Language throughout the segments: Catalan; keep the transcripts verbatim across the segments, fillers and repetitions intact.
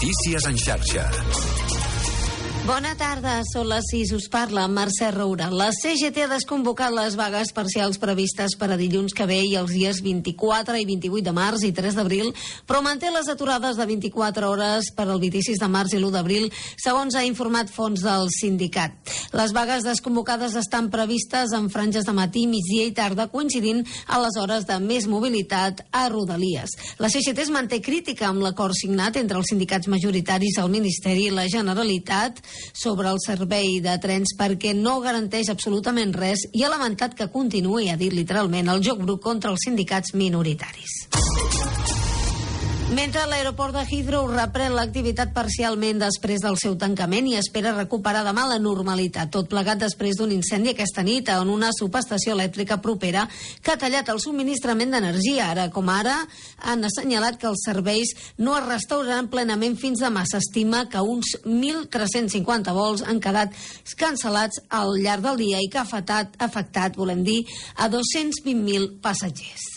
Notícies en xarxa. Bona tarda, són les sis, us parla Mercè Roura. La C G T ha desconvocat les vagues parcials previstes per a dilluns que ve i els dies vint-i-quatre i vint-i-vuit de març i tres d'abril, però manté les aturades de vint-i-quatre hores per al vint-i-sis de març i l'u d'abril, segons ha informat fons del sindicat. Les vagues desconvocades estan previstes en franges de matí, migdia i tarda, coincidint a les hores de més mobilitat a Rodalies. La C G T es manté crítica amb l'acord signat entre els sindicats majoritaris, el Ministeri i la Generalitat sobre el servei de trens perquè no garanteix absolutament res i ha lamentat que continuï, ha dit literalment, el joc brut contra els sindicats minoritaris. Mentre l'aeroport de Heathrow reprèn l'activitat parcialment després del seu tancament i espera recuperar demà la normalitat, tot plegat després d'un incendi aquesta nit en una subestació elèctrica propera que ha tallat el subministrament d'energia. Ara com ara han assenyalat que els serveis no es restauraran plenament fins demà. S'estima que uns mil tres-cents cinquanta vols han quedat cancel·lats al llarg del dia i que ha afectat, afectat volem dir, a dos-cents vint mil passatgers.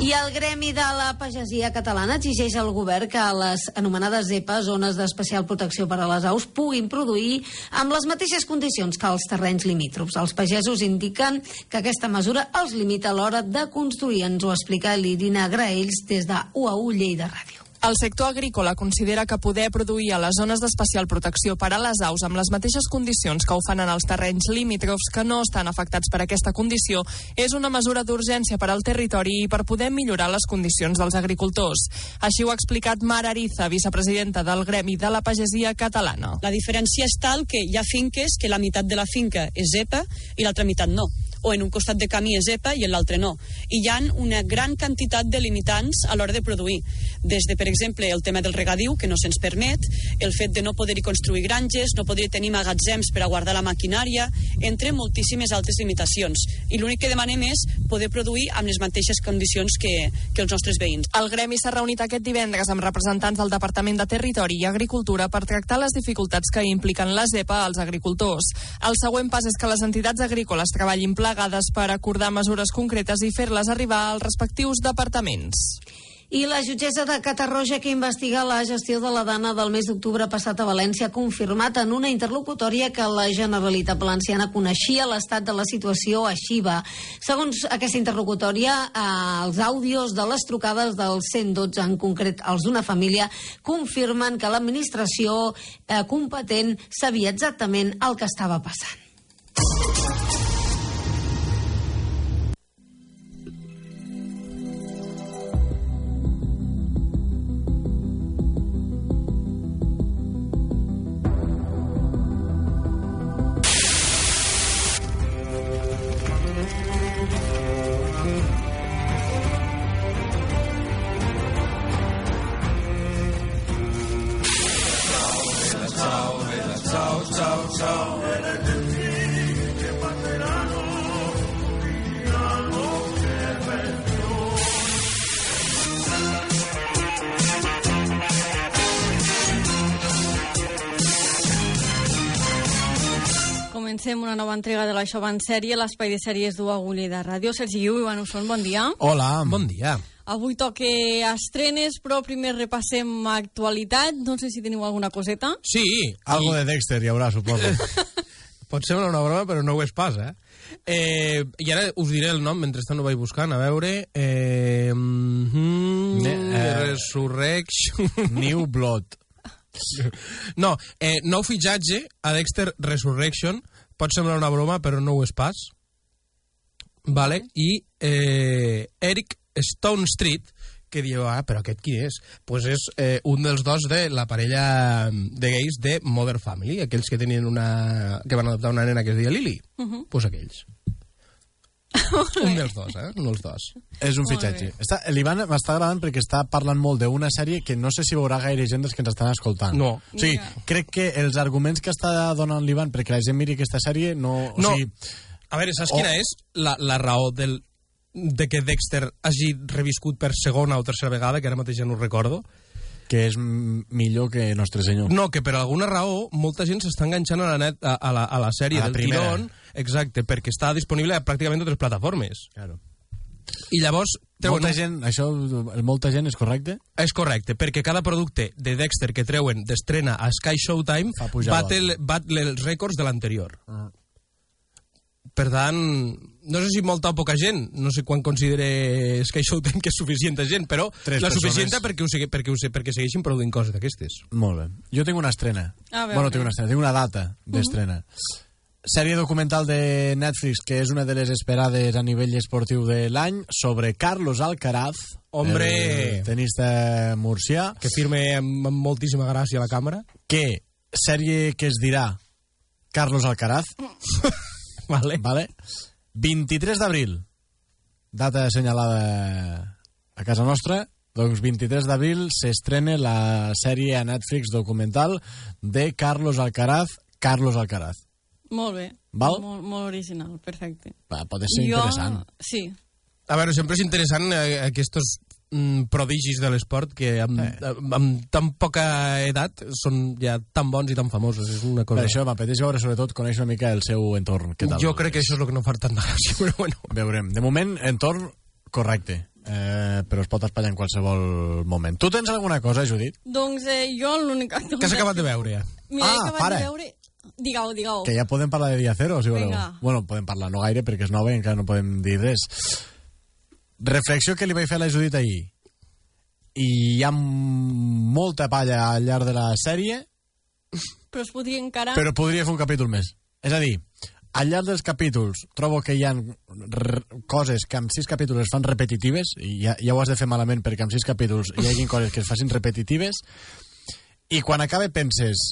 I el Gremi de la Pagesia Catalana exigeix al govern que les anomenades zepa, zones d'especial protecció per a les aus, puguin produir amb les mateixes condicions que els terrenys limítrofs. Els pagesos indiquen que aquesta mesura els limita a l'hora de construir. Ens ho explica l'Irina Graells des de U A U Lleida Ràdio. El sector agrícola considera que poder produir a les zones d'especial protecció per a les aus amb les mateixes condicions que ho fan en els terrenys limítrofs que no estan afectats per aquesta condició és una mesura d'urgència per al territori i per poder millorar les condicions dels agricultors. Així ho ha explicat Mar Ariza, vicepresidenta del Gremi de la Pagesia Catalana. La diferència és tal que hi ha finques que la meitat de la finca és zepa i l'altra meitat no, o en un costat de camí és zepa i en l'altre no. I hi ha una gran quantitat de limitants a l'hora de produir. Des de, per exemple, el tema del regadiu, que no se'ns permet, el fet de no poder-hi construir granges, no poder tenir magatzems per a guardar la maquinària, entre moltíssimes altres limitacions. I l'únic que demanem és poder produir amb les mateixes condicions que, que els nostres veïns. El Gremi s'ha reunit aquest divendres amb representants del Departament de Territori i Agricultura per tractar les dificultats que impliquen la zepa als agricultors. El següent pas és que les entitats agrícoles treballin plegades per acordar mesures concretes i fer-les arribar als respectius departaments. I la jutgessa de Catarroja, que investiga la gestió de la dana del mes d'octubre passat a València, ha confirmat en una interlocutòria que la Generalitat Valenciana coneixia l'estat de la situació a Xiva. Segons aquesta interlocutòria, eh, els àudios de les trucades del cent dotze, en concret els d'una família, confirmen que l'administració eh, competent sabia exactament el que estava passant. Comencem una nova entrega de l'Això va en sèrie, l'espai de sèries d'U A U Lleida Ràdio. Sergi Guiu i Ivan Usón, bon dia. Hola, bon dia. Avui toque estrenes, però primer repassem actualitat. No sé si teniu alguna coseta. Sí. Algo de Dexter hi haurà, suposo. Pot ser una broma, però no ho és pas, eh? eh I ara us diré el nom, mentrestant ho vaig buscant, a veure... Eh, mm, ne, eh, Resurrection... New Blood. No, eh, nou fitxatge a Dexter Resurrection. Pot semblar una broma, però no ho és pas. Vale? I eh, Eric Stone Street, que diu, ah, però aquest qui és? Pues és eh, un dels dos de la parella de gais de Modern Family, aquells que tenien una... que van adoptar una nena que es deia Lily. Uh -huh. Pues aquells. Un dels dos, eh? Un dels dos. És un fitxatge. Està, l'Ivan m'està agradant perquè està parlant molt d'una sèrie que no sé si veurà gaire gent dels que ens estan escoltant. No. O sigui, crec que els arguments que està donant l'Ivan perquè la gent miri aquesta sèrie no... O no. sigui, a veure, saps o... quina és la, la raó del, de que Dexter hagi reviscut per segona o tercera vegada, que ara mateix ja no ho recordo? Que és millor que Nostre Senyor. No, que per alguna raó molta gent s'està enganxant a la, net, a, a la, a la sèrie a la del primera. Tirón, exacte, perquè està disponible a pràcticament totes les plataformes. Claro. I llavors... Molta gent, això, el molta gent és correcte? És correcte, perquè cada producte de Dexter que treuen d'estrena a Sky Showtime bat, el, bat els rècords de l'anterior. Uh. Per tant, no sé si molta o poca gent, no sé quan considere Sky Showtime que és suficient gent, però Tres la suficient perquè, ho, perquè, ho, perquè segueixin produint coses d'aquestes. Molt bé. Jo tinc una estrena. Ah, bé, bueno, tinc una estrena, tinc una data d'estrena. Uh -huh. Sèrie documental de Netflix, que és una de les esperades a nivell esportiu de l'any, sobre Carlos Alcaraz, hombre, el tenista murcià, que firme amb, amb moltíssima gràcia a la càmera. Que sèrie que es dirà Carlos Alcaraz. Vale. Vale. vint-i-tres d'abril, data assenyalada a casa nostra. Doncs vint-i-tres d'abril s'estrena la sèrie a Netflix documental de Carlos Alcaraz, Carlos Alcaraz. Molt bé. Val? Molt, molt original, perfecte. Va, pot ser jo... interessant. Sí. A veure, sempre és interessant eh, aquests mm, prodigis de l'esport que amb, eh. amb, amb tan poca edat són ja tan bons i tan famosos. És una cosa... Per això m'apeteix veure, sobretot, conèixer una mica el seu entorn. Què tal? Jo crec que això és el que no fa tanta gràcia, però bueno. Veurem. De moment, entorn correcte. Eh, però es pot espatllar en qualsevol moment. Tu tens alguna cosa, Judit? Doncs eh, jo l'única... Què has acabat de veure ja? Mira, ah, he acabat para. de veure... Digueu, digueu. Que ja podem parlar de Dia Cero, si voleu. Vinga. Bueno, podem parlar no gaire, perquè és nova i encara no podem dir res. Reflexió que li vaig fer a la Judit ahir. I hi ha molta palla al llarg de la sèrie. Però es podria encarar... Però podria fer un capítol més. És a dir, al llarg dels capítols trobo que hi ha coses que amb sis capítols es fan repetitives, i ja, ja ho has de fer malament perquè amb sis capítols hi hagi coses que es facin repetitives, i quan acaba penses...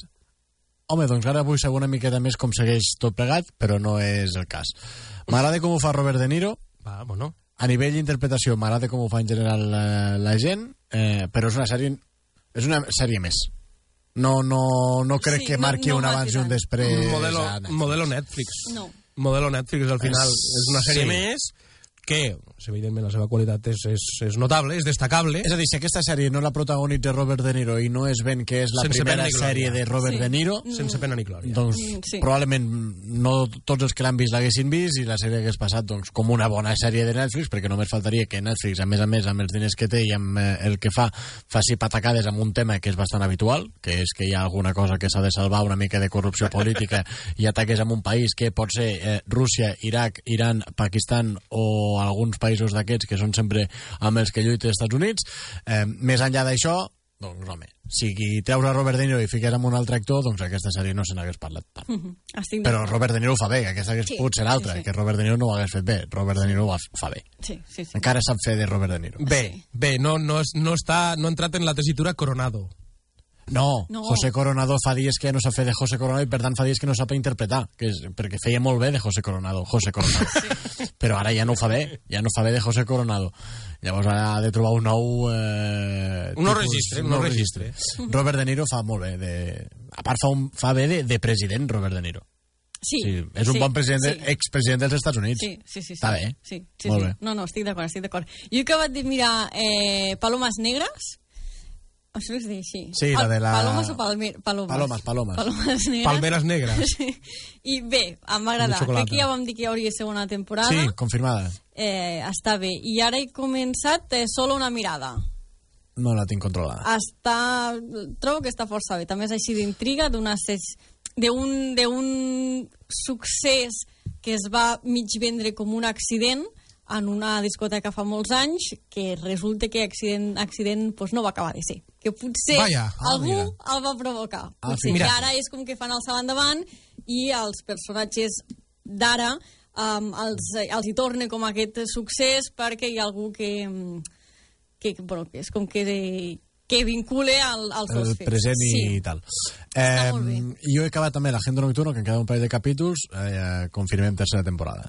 Home, doncs ara vull saber una miqueta més com segueix tot plegat, però no és el cas. M'agrada com ho fa Robert De Niro. Va, bueno. A nivell d'interpretació m'agrada com ho fa en general la, la gent, eh, però és una sèrie és una sèrie més. No, no, no crec sí, que marqui no, no un abans i un després. Modelo Netflix. Modelo Netflix. No. Modelo Netflix, al final, és, és una sèrie sí. més que, evidentment, la seva qualitat és, és, és notable, és destacable. És a dir, si aquesta sèrie no la protagonitza Robert De Niro i no es ven que és la Sense primera sèrie de Robert sí. De Niro... Sense pena ni glòria. Doncs sí. probablement no tots els que l'han vist l'haguessin vist i la sèrie hagués passat doncs, com una bona sèrie de Netflix, perquè només faltaria que Netflix, a més a més, amb els diners que té i amb eh, el que fa, faci patacades amb un tema que és bastant habitual, que és que hi ha alguna cosa que s'ha de salvar, una mica de corrupció política, i ataques amb un país que pot ser eh, Rússia, Iraq, Iran, Pakistan o alguns països d'aquests que són sempre amb els que lluita els Estats Units. Eh, més enllà d'això, doncs, home, si treus a Robert De Niro i fiques amb un altre actor, doncs aquesta sèrie no se n'hagués parlat tant. Mm-hmm. Però Robert De Niro ho fa bé, que aquesta hagués sí, pogut ser l'altra, sí, sí. que Robert De Niro no ho hagués fet bé. Robert De Niro ho fa bé. Sí, sí, sí. Encara sap fer de Robert De Niro. Bé, sí. bé, no, no, no, està, no ha entrat en la tessitura Coronado. No, no, José Coronado fa dies que no sap fer de José Coronado i per tant fa dies que no sap interpretar, que és, perquè feia molt bé de José Coronado, José Coronado. Sí. Però ara ja no ho fa bé, ja no fa bé de José Coronado. Llavors ara ha de trobar un nou... Eh, un nou registre, un nou registre. registre. Robert De Niro fa molt bé, de, a part fa, un, fa bé de, de president Robert De Niro. Sí, sí, és un sí, bon president, sí. expresident dels Estats Units. Sí, sí, sí. Està bé. Sí, sí, molt sí. bé. No, no, estic d'acord, estic d'acord. Jo he acabat de mirar eh, Palomes Negres. Això es diu així. Sí, la de la... Palomes o palmer... Palomes? Palomes, palomes. Palomes negres. Palmeres negres. Sí. I bé, em va agradar. Que aquí ja vam dir que hi hauria segona temporada. Sí, confirmada. Eh, està bé. I ara he començat eh, Solo una mirada. No la tinc controlada. Està... Trobo que està força bé. També és així d'intriga, d'un d'un succés que es va mig vendre com un accident en una discoteca fa molts anys, que resulta que accident, accident pues, no va acabar de ser. Que potser Vaya. algú ah, el va provocar. Ah, Potser sí. que ara és com que fan el salt endavant i els personatges d'ara um, els, els hi torna com aquest succés perquè hi ha algú que, que, bueno, que és com que, que vincule al, als dos fets. El present i sí. tal. Està Eh, molt bé. jo he acabat també l'Agenda Nocturno, que em queda un parell de capítols, eh, confirmem tercera temporada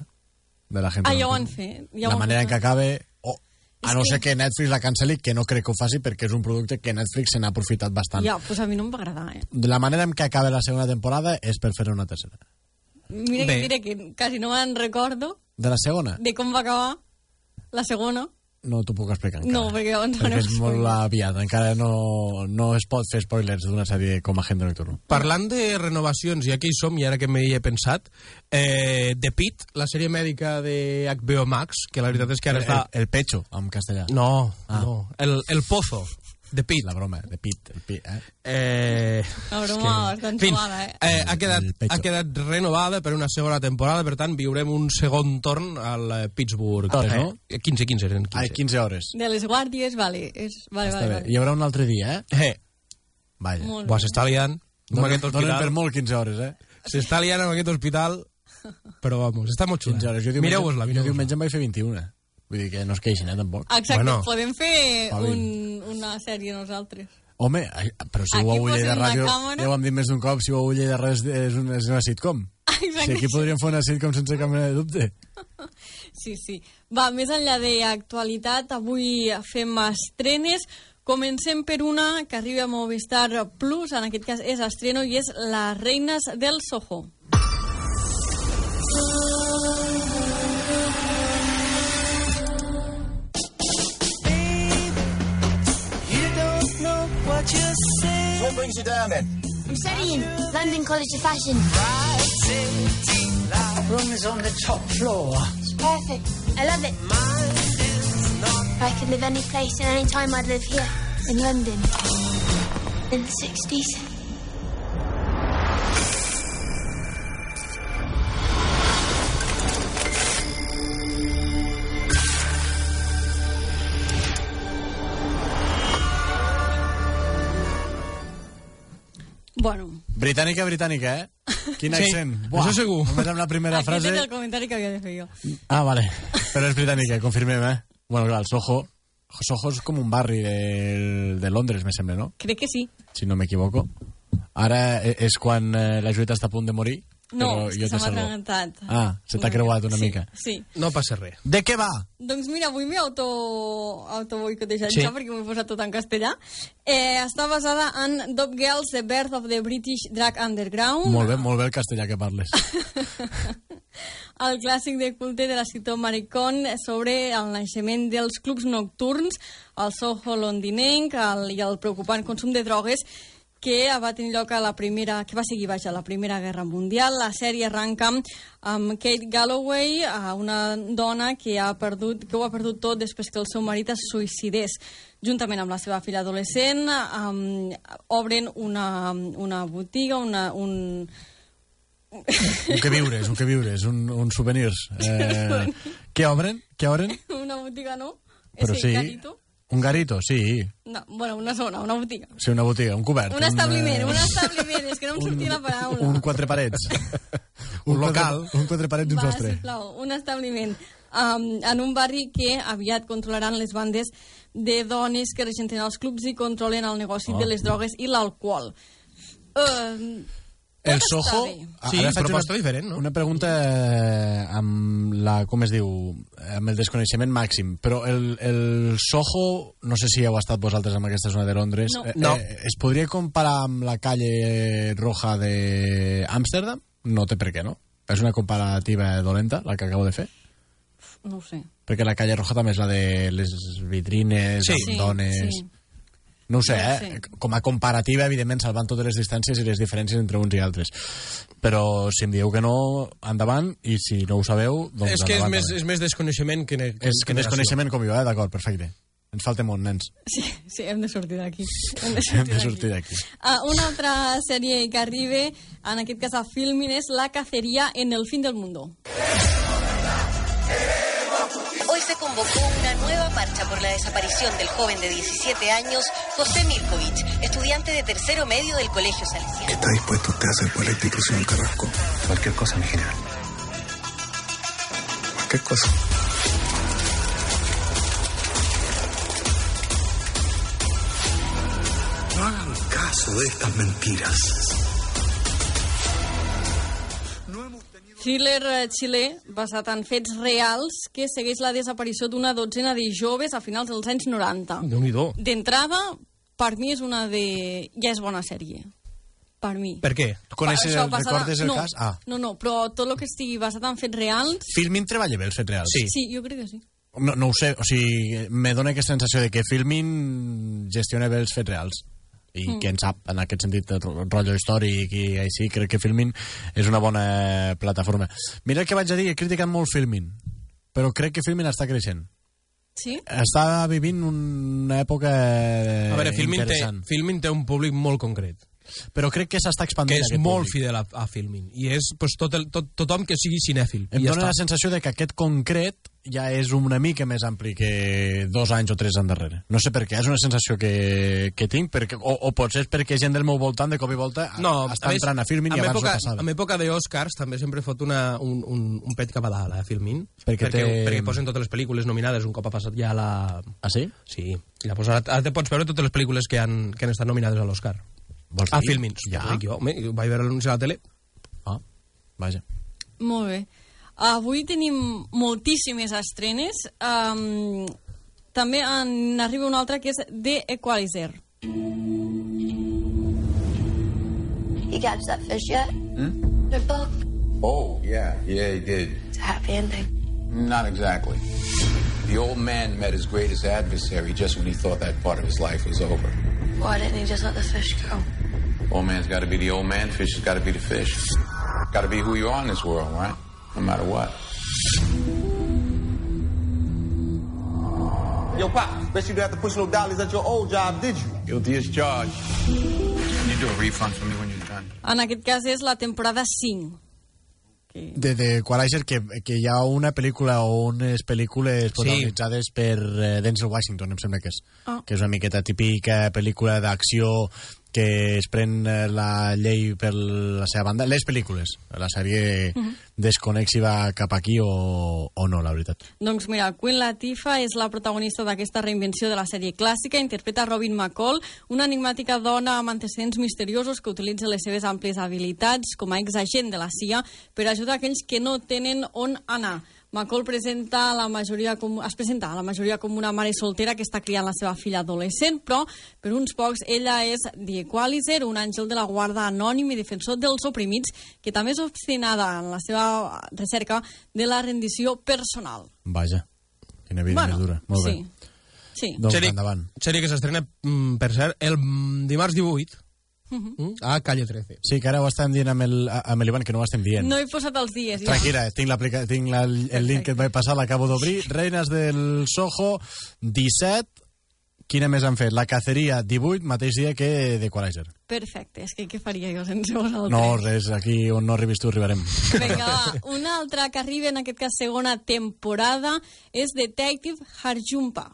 de l'Agenda Ah, ja ho Nocturno. han fet. Ja la ho han manera fet. en què acabe, o, a És no que- ser que Netflix la canceli, que no crec que ho faci perquè és un producte que Netflix se n'ha aprofitat bastant. Ja, pues a mi no em va agradar, eh? De la manera en què acabe la segona temporada és per fer una tercera. Mira que Bé. diré que quasi no me'n recordo De la segona? de com va acabar la segona. no t'ho puc explicar encara. No, perquè llavors perquè és molt spoilers. aviat. Encara no, no es pot fer spoilers d'una sèrie com Agente Nocturno. Parlant de renovacions, ja que hi som, i ara que m'hi he pensat, eh, The Pit, la sèrie mèdica de H B O Max, que la veritat és que ara El, està... el pecho, en castellà. No, Ah. no, el, el Pozo, The Pit. La broma, de pit. El pit eh? Eh, La broma bastant en fi, suada, eh? eh, ha, quedat, El pecho. ha quedat renovada per una segona temporada, per tant, viurem un segon torn al eh, Pittsburgh. Hores, no? Eh, quinze, quinze, eren quinze. Ai, quinze hores. De les guàrdies, vale. És, vale, Està vale, bé. vale. Hi haurà un altre dia, eh? Eh, Vaja. Molt bo, bé. s'està liant amb Donen, aquest donen per hospital. molt quinze hores, eh? S'està liant amb aquest hospital, però vamos, està molt xula. quinze hores. Jo diumenge, Mireu-vos-la, jo mireu-vos-la. diumenge em vaig fer vint-i-una. Vull dir que no es queixin, eh, tampoc. Exacte, Bueno. podem fer Pavim. un, una sèrie nosaltres. Home, ai, però si Aquí ho heu llegit de posem la ràdio, càmera. ja ho hem dit més d'un cop, si ho heu llegit de res és una, és una sitcom. Exacte. Si aquí podríem fer una sitcom sense cap mena de dubte. Sí, sí. Va, més enllà d'actualitat, avui fem estrenes. Comencem per una que arriba a Movistar Plus, en aquest cas és estreno, i és Les reines del Soho. What brings you down then? I'm studying London College of Fashion. Room is on the top floor. It's perfect. I love it. If I could live any place and any time, I'd live here in London in the sixties. Bueno, Britànica, britànica, eh? Quin Sí, accent. això segur. Només amb la primera aquest frase... era el comentari que havia de fer jo. Ah, vale. Però és britànica, confirmem, eh? Bueno, clar, el Soho... Soho és com un barri de, de Londres, me sembla, no? Crec que sí. Si no m'equivoco. Ara e- és quan eh, la Julieta està a punt de morir. No, però és jo que te se m'ha salvo. atragantat. Ah, se t'ha creuat una sí, mica. Sí. No passa res. De què va? Doncs mira, avui m'he auto, auto-boicotejat Sí. ja perquè m'ho he posat tot en castellà. Eh, està basada en Top Girls, The Birth of the British Drag Underground. Molt bé, molt bé el castellà que parles. El clàssic de culte de l'escriptor Maricón sobre el naixement dels clubs nocturns, el Soho londinenc el, i el preocupant consum de drogues que va tenir lloc a la primera, que va seguir vaja, a la Primera Guerra Mundial. La sèrie arranca amb Kate Galloway, una dona que ha perdut, que ho ha perdut tot després que el seu marit es suïcidés. Juntament amb la seva filla adolescent, um, obren una, una botiga, una, un... Un que viures, un que viures, un, un souvenirs. Eh, què obren? Què obren? una botiga, no? Però Ese sí. garito. Un garito, sí. No, bueno, una zona, una botiga. Sí, una botiga, un cobert. Un establiment, eh, un establiment, és que no em sortia la paraula. Un quatre parets. Un local. Quatre, un quatre parets i un Va, sostre. sisplau, un establiment. Um, en un barri que aviat controlaran les bandes de dones que regenten els clubs i controlen el negoci Oh. de les drogues i l'alcohol. Uh, El Soho... Sí, ara faig proposta una, diferent, no? Una pregunta eh, amb la, com es diu, amb el desconeixement màxim, però el, el Soho, no sé si heu estat vosaltres en aquesta zona de Londres, No. eh, No. eh, es podria comparar amb la calle roja d'Amsterdam? No té per què, no? És una comparativa dolenta, la que acabo de fer? No ho sé. Perquè la calle roja també és la de les vitrines, Sí. amb Sí, dones... sí. No ho sé, No ho eh? sé. Com a comparativa, evidentment, salvant totes les distàncies i les diferències entre uns i altres. Però si em dieu que no, endavant, i si no ho sabeu, doncs És que és endavant més, també. és més desconeixement que, ne, És que desconeixement com jo, eh? D'acord, perfecte. Ens falta molt, nens. Sí, sí, hem de sortir d'aquí. Hem de Hem sortir de d'aquí. sortir d'aquí. Uh, una altra sèrie que arriba, en aquest cas a Filmin, és La cacería en el fin del mundo. Hoy se convocó una nueva marcha por la desaparición del joven de diecisiete años, José Milkovich, estudiante de tercero medio del Colegio Salesiano. ¿Está dispuesto usted a hacer por la institución Carrasco? Cualquier cosa, mi general. Cualquier cosa. No hagan caso de estas mentiras. Thriller eh, xilè basat en fets reals que segueix la desaparició d'una dotzena de joves a finals dels anys noranta. Déu-n'hi-do. D'entrada, per mi és una de... ja és bona sèrie. Per mi. Per què? Tu coneixes, Això el, basada- recordes el no, cas? Ah, No, no, però tot el que estigui basat en fets reals... Filmin treballa bé els fets reals. Sí. Sí, jo crec que sí. No, no ho sé, o sigui, me dóna aquesta sensació de que Filmin gestiona bé els fets reals. I mm. qui en sap, en aquest sentit, el rotllo històric i així, crec que Filmin és una bona plataforma. Mira el que vaig a dir, he criticat molt Filmin, però crec que Filmin està creixent. Sí? Està vivint una època a veure, Filmin interessant. Té, Filmin té un públic molt concret. Però crec que s'està expandint. Que és molt públic. Fidel a, a Filmin. I és pues, tot el, tot, tothom que sigui cinèfil. Em ja dóna està. la sensació de que aquest concret ja és una mica més ampli que dos anys o tres anys darrere. No sé per què, és una sensació que, que tinc, perquè, o, o potser és perquè gent del meu voltant de cop i volta no, està a entrant a Filmin i abans època, no passava. En època d'Oscars també sempre fot una, un, un, un pet cap a dalt, eh, Filmin. Perquè, perquè, té... perquè posen totes les pel·lícules nominades un cop ha passat ja la... Ah, sí? Sí. I llavors ara, ara te pots veure totes les pel·lícules que han, que han estat nominades a l'Oscar. A Filmin. Ja? Jo, ho vaig veure l'anunci a la tele. Ah, vaja. Molt bé. Avui tenim moltíssimes estrenes. Um, també en arriba una altra que és The Equalizer. You catch that fish yet? Hmm? The book. Oh, yeah, yeah, he did. It's a happy ending. Not exactly. The old man met his greatest adversary just when he thought that part of his life was over. Why didn't he just let the fish go? Old man's got to be the old man, fish has got to be the fish. Got to be who you are in this world, right? No matter what. Yo, Pop, bet you didn't have to push no dollies at your old job, did you? Guilty as charged. Can you do a refund for me when you're done? En aquest cas és la temporada cinc. Que... De The Equalizer, que, que hi ha una pel·lícula o unes pel·lícules protagonitzades sí. per uh, Denzel Washington, em sembla que és. Oh. Que és una miqueta típica pel·lícula d'acció que es pren la llei per la seva banda. Les pel·lícules. La sèrie uh -huh. desconec si va cap aquí o, o no, la veritat. Doncs mira, Queen Latifah és la protagonista d'aquesta reinvenció de la sèrie clàssica. Interpreta Robin McCall, una enigmàtica dona amb antecedents misteriosos que utilitza les seves àmplies habilitats com a exagent de la C I A per ajudar aquells que no tenen on anar. McCall presenta la majoria com, es presenta a la majoria com una mare soltera que està criant la seva filla adolescent, però per uns pocs ella és The Equalizer, un àngel de la guarda anònim i defensor dels oprimits, que també és obstinada en la seva recerca de la rendició personal. Vaja, quina vida bueno, més dura. Molt sí. bé. Sí. Doncs sèrie, endavant. Sèrie que s'estrena, per cert, el dimarts divuit. Uh-huh. A Calle trece. Sí, que ara ho estem dient amb el, amb l'Ivan, que no ho estem dient. No he posat els dies. Tranquil·la, tinc, tinc la, el Perfecte. Link que et vaig passar, l'acabo d'obrir. Reines del Soho, disset. Quina més han fet? La Caceria, divuit, mateix dia que The Equalizer. Perfecte, és que què faria jo sense vosaltres? No, res, aquí on no arribis tu arribarem. Vinga, va, una altra que arriba, en aquest cas segona temporada, és Detective Harjumpa.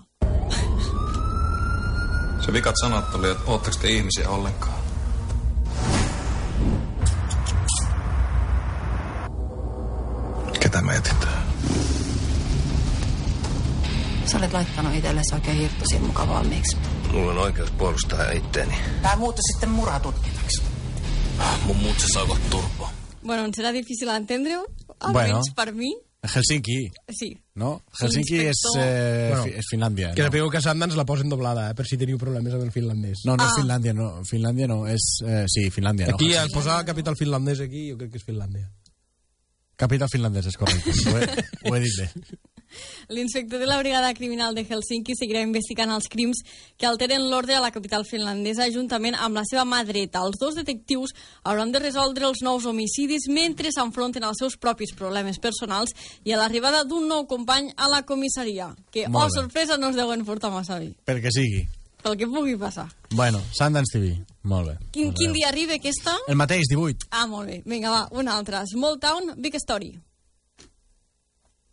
Se vikat sanat oli, että ootteko te ihmisiä ollenkaan? Ketä mä etit? Sä olet laittanut itsellesi oikein hirtosin mukaan valmiiksi. Mulla on oikeus puolustaa itteeni. Tää muuttui sitten muratutkinnaksi. Mun muut se saivat turpoa. Bueno, em serà difícil entendre-ho, bueno. almenys per mi. Helsinki. Sí. No? Helsinki és, eh, bueno, és Finlàndia. Que no? sapigueu que Sundance la posen doblada, eh, per si teniu problemes amb el finlandès. No, no ah. és Finlàndia, no. Finlàndia no, és... Eh, sí, Finlàndia. Aquí, no, al posar capital finlandès aquí, jo crec que és Finlàndia. Capital finlandès, és correcte. ho, he, ho he dit bé. L'inspector de la brigada criminal de Helsinki seguirà investigant els crims que alteren l'ordre a la capital finlandesa juntament amb la seva mà dreta. Els dos detectius hauran de resoldre els nous homicidis mentre s'enfronten als seus propis problemes personals i a l'arribada d'un nou company a la comissaria, que, oh, sorpresa, no es deuen portar massa bé. Pel que sigui. Pel que pugui passar. Bueno, Sundance T V. Molt bé. Quin, quin dia arriba aquesta? El mateix, divuit. Ah, molt bé. Vinga, va, una altra. Small Town, Big Story.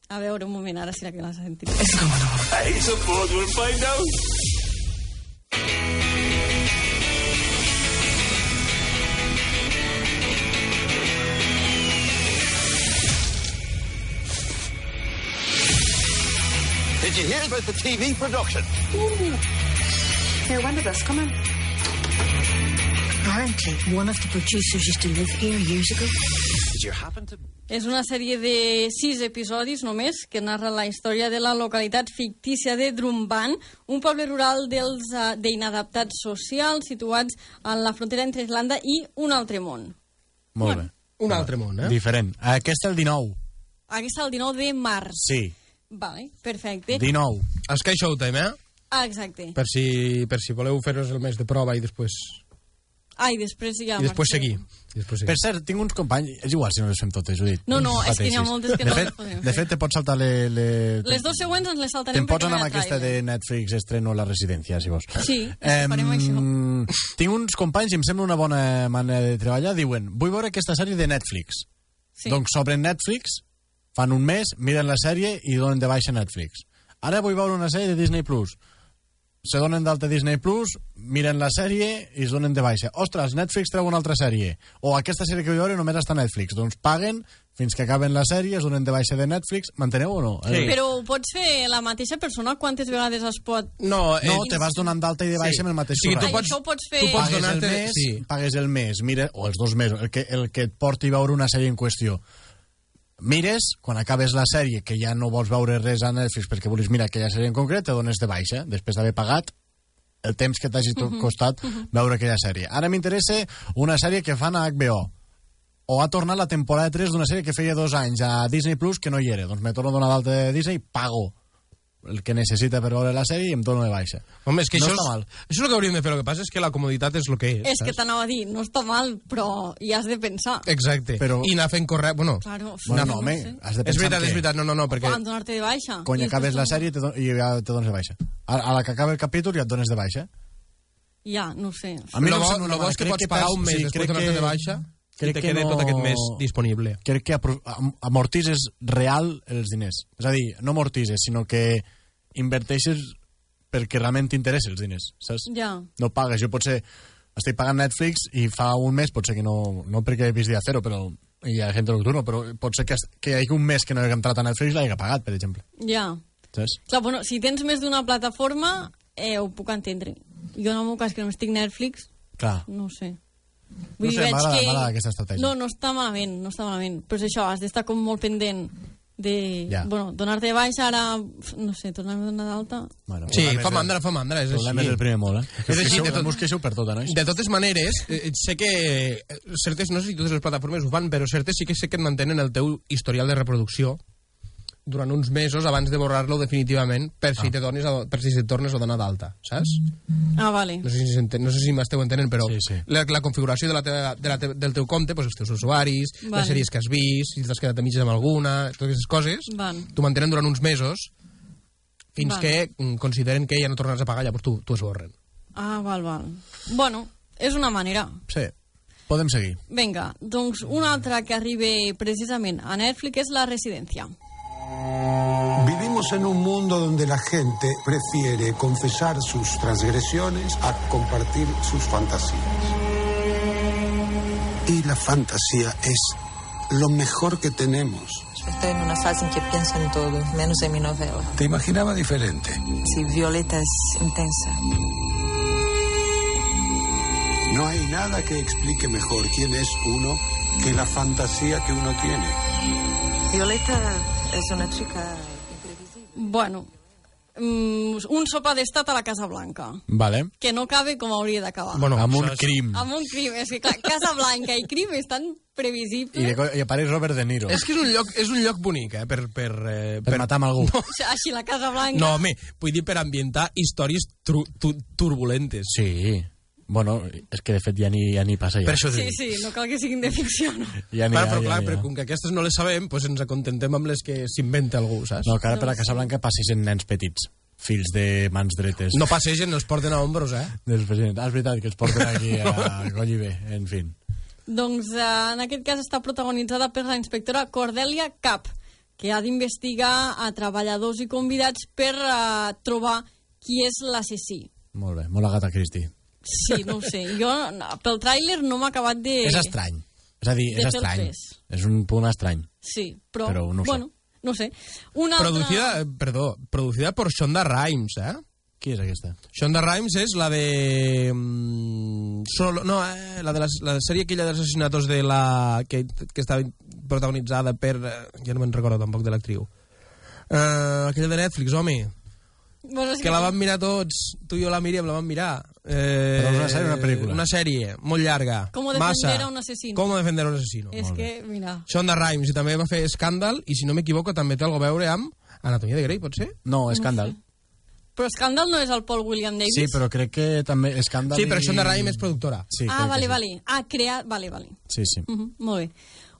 A veure, un moment, ara sí que l'has sentit. I suppose we'll find out. Did you hear about the T V production? Ooh. Here, when did this come in? Apparently, one of the producers used to live here years ago. Did you happen to... És una sèrie de sis episodis només que narra la història de la localitat fictícia de Drumban, un poble rural dels uh, d'inadaptats socials situats en la frontera entre Irlanda i un altre món. Molt bé. Un altre món, eh? Diferent. Aquest el dinou. Aquest el dinou de març. Sí. Vale, perfecte. dinou. Sky Showtime, eh? Ah, exacte. Per si, per si voleu fer-vos el mes de prova i després... Ah, i després ja... I després seguir. I després seguir. Per cert, tinc uns companys... És igual si no les fem totes, Judit. No, no, és que n'hi ha moltes que de no fet, les podem fer. De fet, te pots saltar les... Le... Les dos següents ens les saltarem Te'n pots anar amb perquè no hi ha aquesta de trailer. Netflix estreno La Residència, si vols. Sí, eh, farem això. Tinc uns companys i em sembla una bona manera de treballar. Diuen, vull veure aquesta sèrie de Netflix. Sí. Doncs s'obren Netflix, fan un mes, miren la sèrie i donen de baixa Netflix. Ara vull veure una sèrie de Disney Plus. Se donen d'alta Disney Plus, miren la sèrie i es donen de baixa. Ostres, Netflix treu una altra sèrie. O aquesta sèrie que vull veure només està a Netflix. Doncs paguen fins que acaben la sèrie, es donen de baixa de Netflix. M'enteneu o no? Sí. Però ho pots fer la mateixa persona quantes vegades es pot... No, eh, no te vas donant d'alta i de baixa sí. amb el mateix sí, tu pots, això ho pots fer... Tu pots pagues el mes, sí. pagues el mes, mira, o els dos mesos, el que, el que et porti a veure una sèrie en qüestió. Mires, quan acabes la sèrie, que ja no vols veure res a Netflix perquè vols mirar aquella sèrie en concret, te dones de baixa, després d'haver pagat el temps que t'hagi uh-huh. costat uh-huh. veure aquella sèrie. Ara m'interessa una sèrie que fan a H B O, o ha tornat la temporada tres d'una sèrie que feia dos anys a Disney Plus que no hi era. Doncs me torno a donar d'alta de Disney, pago el que necessita per veure la sèrie i em torno de baixa. Home, és que no això, està és, mal. Això és el que hauríem de fer. El que passa és que la comoditat és el que és. És saps? Que t'anava a dir, no està mal, però hi has de pensar. Exacte. Però... I anar fent correcte... Bueno, claro, bueno no, home, no sé. Has de pensar és veritat, que... és veritat, no, no, no, perquè... Quan donar-te de baixa. Quan acabes la sèrie te don... i ja te dones de baixa. A, a la que acaba el capítol ja et dones de baixa. Ja, no sé. A mi no bo, no bo és que pots pagar un mes sí, després de donar-te de baixa i te queda no... tot aquest mes disponible. Crec que amortises real els diners. És a dir, no amortises, sinó que inverteixes perquè realment t'interessa els diners, saps? Ja. No pagues. Jo potser estic pagant Netflix i fa un mes, potser que no, no perquè he vist dia cero, però hi ha gent nocturno, però pot ser que, que hi hagi un mes que no he entrat a Netflix l'hagi pagat, per exemple. Ja. Saps? Clar, bueno, si tens més d'una plataforma, eh, ho puc entendre. Jo en el meu cas, que no estic Netflix, clar. No sé. Vull no sé, m'agrada que... aquesta estratègia. No, no està malament, no està malament. Però és això, has d'estar com molt pendent de, ja. bueno, donar-te de baixa, ara, no sé, tornar-me a donar d'alta. Bueno, sí, fa mandra, fa mandra, és així. És el primer molt, eh? És així, de, tot, queixeu per tot, no? de totes maneres, eh, sé que certes, no sé si totes les plataformes ho fan, però certes sí que sé que et mantenen el teu historial de reproducció durant uns mesos abans de borrar-lo definitivament per si, ah. te dones a, per si et tornes a donar d'alta, saps? Ah, vale. No sé si, no sé si m'esteu entenent, però sí, sí. La, la configuració de la teva, de la te, del teu compte, pues, els teus usuaris, vale. Les sèries que has vist, si t'has quedat a mitges amb alguna, totes aquestes coses, vale. t'ho mantenen durant uns mesos fins vale. que consideren que ja no tornaràs a pagar, llavors t'ho esborren. Ah, val, val. Bueno, és una manera. Sí. Podem seguir. Vinga, doncs una altra que arriba precisament a Netflix és La Residencia. Vivimos en un mundo donde la gente prefiere confesar sus transgresiones a compartir sus fantasías. Y la fantasía es lo mejor que tenemos. Estoy en una fase en que pienso en todo, menos en mi novela. ¿Te imaginaba diferente? Sí, Violeta es intensa. No hay nada que explique mejor quién es uno que la fantasía que uno tiene. Violeta es una chica imprevisible. Bueno, um, un sopar d'estat a la Casa Blanca. Vale. Que no cabe com hauria d'acabar. Bueno, amb un crim. Amb un crim. És que, clar, Casa Blanca i crim és tan previsible. I, de, i apareix Robert De Niro. És que és un lloc, és un lloc bonic, eh? Per, per, eh, per, per matar amb algú. No. Així, la Casa Blanca... No, home, vull dir per ambientar històries tru, tu, turbulentes. Sí. Bueno, és que de fet ja ni, ja ni passa ja. Per això sí, sí, no cal que siguin de ficció, no? Ja ni, clar, ja, però clar, ja, ja. però com que aquestes no les sabem, doncs ens acontem amb les que s'inventa algú, saps? No, que ara per la Casa Blanca passegen nens petits, fills de mans dretes. No passegen, els porten a ombros, eh? Dels presidents. Ah, és veritat, que els porten aquí a coll i bé, en fi. Doncs eh, en aquest cas està protagonitzada per la inspectora Cordelia Cap, que ha d'investigar a treballadors i convidats per eh, trobar qui és l'assassí. Molt bé, molt Agatha Christie. Sí, no ho sé. Jo, pel tràiler no m'ha acabat de... És estrany. És a dir, és estrany. És un punt estrany. Sí, però, però no bueno, no sé. Una producida, altra... perdó, producida per Shonda Rhimes, eh? Qui és aquesta? Shonda Rhimes és la de... Solo, no, eh, la de la, la sèrie aquella dels assassinatos de la... que, que estava protagonitzada per... Ja no me'n recordo tampoc de l'actriu. Uh, aquella de Netflix, home... Bueno, que la vam mirar tots, tu i jo la Míriam la vam mirar. Eh, Però una sèrie o una pel·lícula? Una sèrie, molt llarga. Com defender a un assassino. Com defender a un assassino. És que, mira... Shonda Rhimes, i també va fer Scandal, i si no m'equivoco també té algo a veure amb, Anatomia de Grey, pot ser? No, Scandal. No sé. Però Scandal no és el Paul William Davis? Sí, però crec que també Scandal... Sí, però això de Raim és productora. Sí, ah, vale, sí. vale. Ah, creat... Vale, vale. Sí, sí. Uh -huh, molt bé.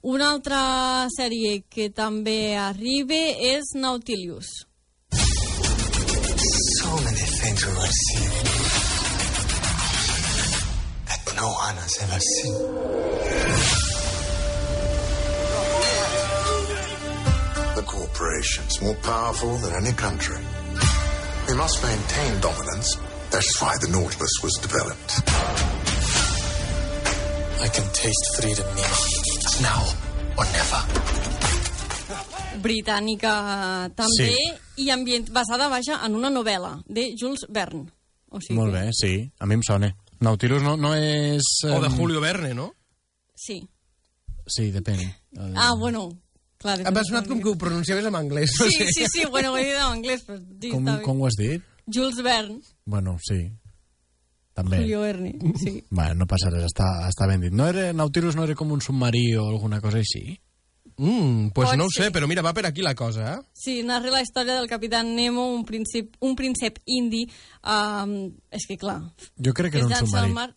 Una altra sèrie que també arriba és Nautilus. So many things we were seeing that no one has ever seen. The corporation's more powerful than any country. We must maintain dominance. That's why the Nautilus was developed. I can taste freedom, Nemo. Now or never. Britànica també, sí. I ambient, basada, vaja, en una novel·la de Jules Verne. O sigui Molt que... bé, sí, a mi em sona. Nautilus no, no és... O de Julio Verne, no? Sí. Sí, depèn. El... Ah, bueno... Clar, em va sonat com que ho pronunciaves en anglès. Sí, sí, sí, sí, bueno, ho he dit en anglès, però... Sí, com, com ho has dit? Jules Verne. Bueno, sí. També. Julio Verne, sí. Bueno, no passa res, està, està ben dit. No era, Nautilus no era com un submarí o alguna cosa així? Mm, pues Pot no ho ser. sé, però mira, va per aquí la cosa, eh? Sí, narra la història del capitán Nemo, un príncep, un príncep indi. Um, és que, clar... Jo crec que era un submarí. Mar...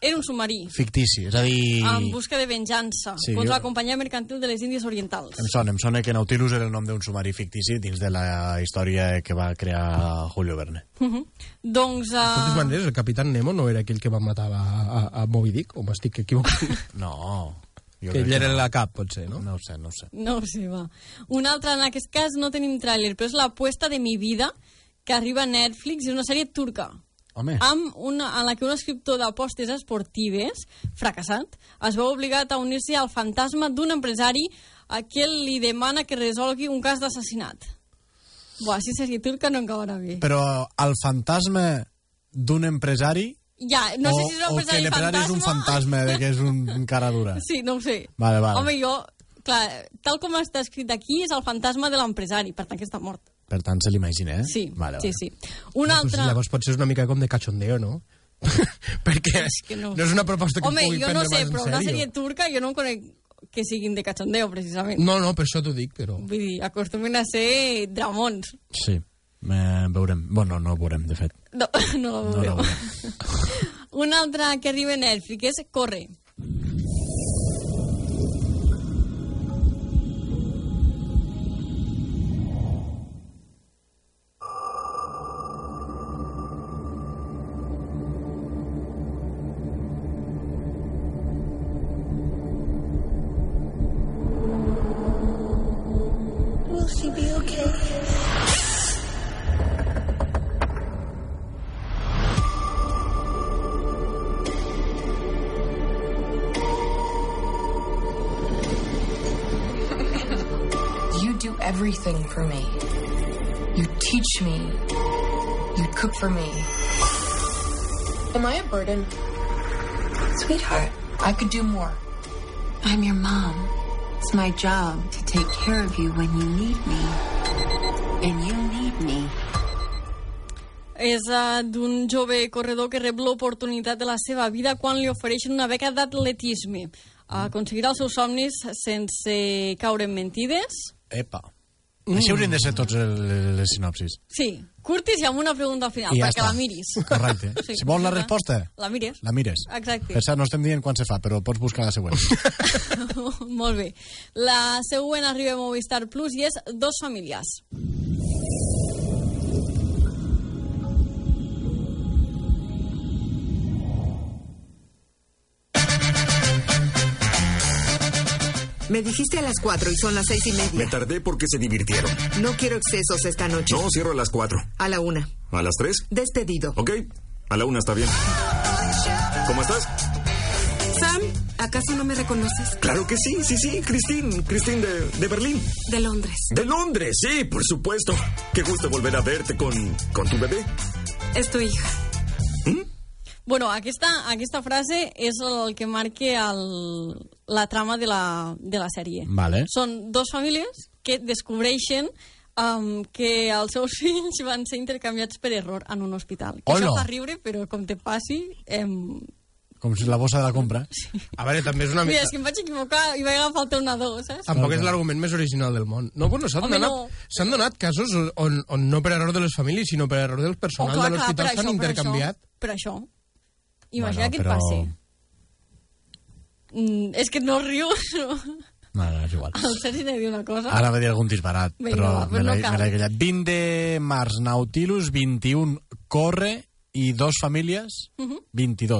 Era un submarí. Fictici, és a dir... En busca de venjança, Sí, contra jo- la companyia mercantil de les Índies Orientals. Em sona, em sona que Nautilus era el nom d'un submarí fictici dins de la història que va crear Julio Verne. Uh -huh. Doncs... De totes Uh... maneres, el capitán Nemo no era aquell que va matar a, a, a Moby Dick, o m'estic equivocant? No... Jo que crec ell era no. la cap, potser, no? No ho sé, no ho sé. No ho sé, va. Un altre, en aquest cas no tenim tràiler, però és l'apuesta de mi vida, que arriba a Netflix, és una sèrie turca. Home. Amb una, en la que un escriptor d'apostes esportives, fracassat, es veu obligat a unir-se al fantasma d'un empresari a qui li demana que resolgui un cas d'assassinat. Buah, si sèrie turca no encabarà bé. Però el fantasma d'un empresari... Ja, no o, sé si és un o que empresari l'empresari és un fantasma de que és un, un cara dura. Sí, no ho sé. Vale, vale. Home, jo, clar, tal com està escrit aquí, és el fantasma de l'empresari, per tant que està mort. Per tant, se l'imagina, eh? Sí, vale, sí, vale. sí. Un No, altre... pues llavors pot ser una mica com de cachondeo, no? Perquè És que no. no és una proposta que Home, pugui jo prendre no sé, més en però una sèrio. sèrie turca jo no en conec que siguin de cachondeo, precisament. No, no, per això t'ho dic, però... Vull dir, acostumen a ser dramons. Sí, eh, veurem. Bueno, no ho veurem, de fet. No, no la No veureu. la veurem. Una altra que arriba a Netflix és Corre. Will she be okay? You do everything for me. You teach me. You cook for me. Am I a burden? Sweetheart, I could do more. I'm your mom. It's my job to take care of you when you need me. And you need me. És uh, d'un jove corredor que rep l'oportunitat de la seva vida quan li ofereixen una beca d'atletisme. Uh, aconseguirà els seus somnis sense caure en mentides. Epa. Mm. Així haurien de ser tots el, les sinopsis. Sí, curtis i amb una pregunta al final, I ja perquè està. la miris. Correcte. Sí, Si vols la resposta, La mires. la mires. Exacte. Per cert, no estem dient quan se fa, però pots buscar la següent. Molt bé. La següent arriba a Movistar Plus i és Dos famílies. Me dijiste a las cuatro y son las seis y Me media. tardé porque se divirtieron. No quiero excesos esta noche. No, cierro a las cuatro. A la una. ¿A las tres? Despedido. Ok, a la una está bien. ¿Cómo estás? Sam, ¿acaso no me reconoces? Claro que sí, sí, sí, Christine. Christine de, de Berlín. De Londres. De Londres, sí, por supuesto. Qué gusto volver a verte con, con tu bebé. Es tu hija. Bueno, aquesta, aquesta frase és el que marca el, la trama de la, de la sèrie. Vale. Són dos famílies que descobreixen um, que els seus fills van ser intercanviats per error en un hospital. Que Hola. això fa riure, però com te passi... Em... com si la bossa de la compra. A veure, també és una mica... Mira, és que em vaig equivocar i vaig agafar el teu nadó, saps? Tampoc és l'argument més original del món. No, bueno, s'han donat, no. s'han donat casos on, on no per error de les famílies, sinó per error del personal Oh, clar, de clar, l'hospital per s'han això, intercanviat. Per això. Imagina Bueno, què et però- passi. Mm, és que no rius. No. No, no, és igual. El Sergi n'ha dit una cosa. Ara va dir algun disbarat, Vinga, però va, me pues no l'he cal. me l'he callat. vint de març, Nautilus, vint-i-un, corre, i dos famílies, Uh -huh. vint-i-dos.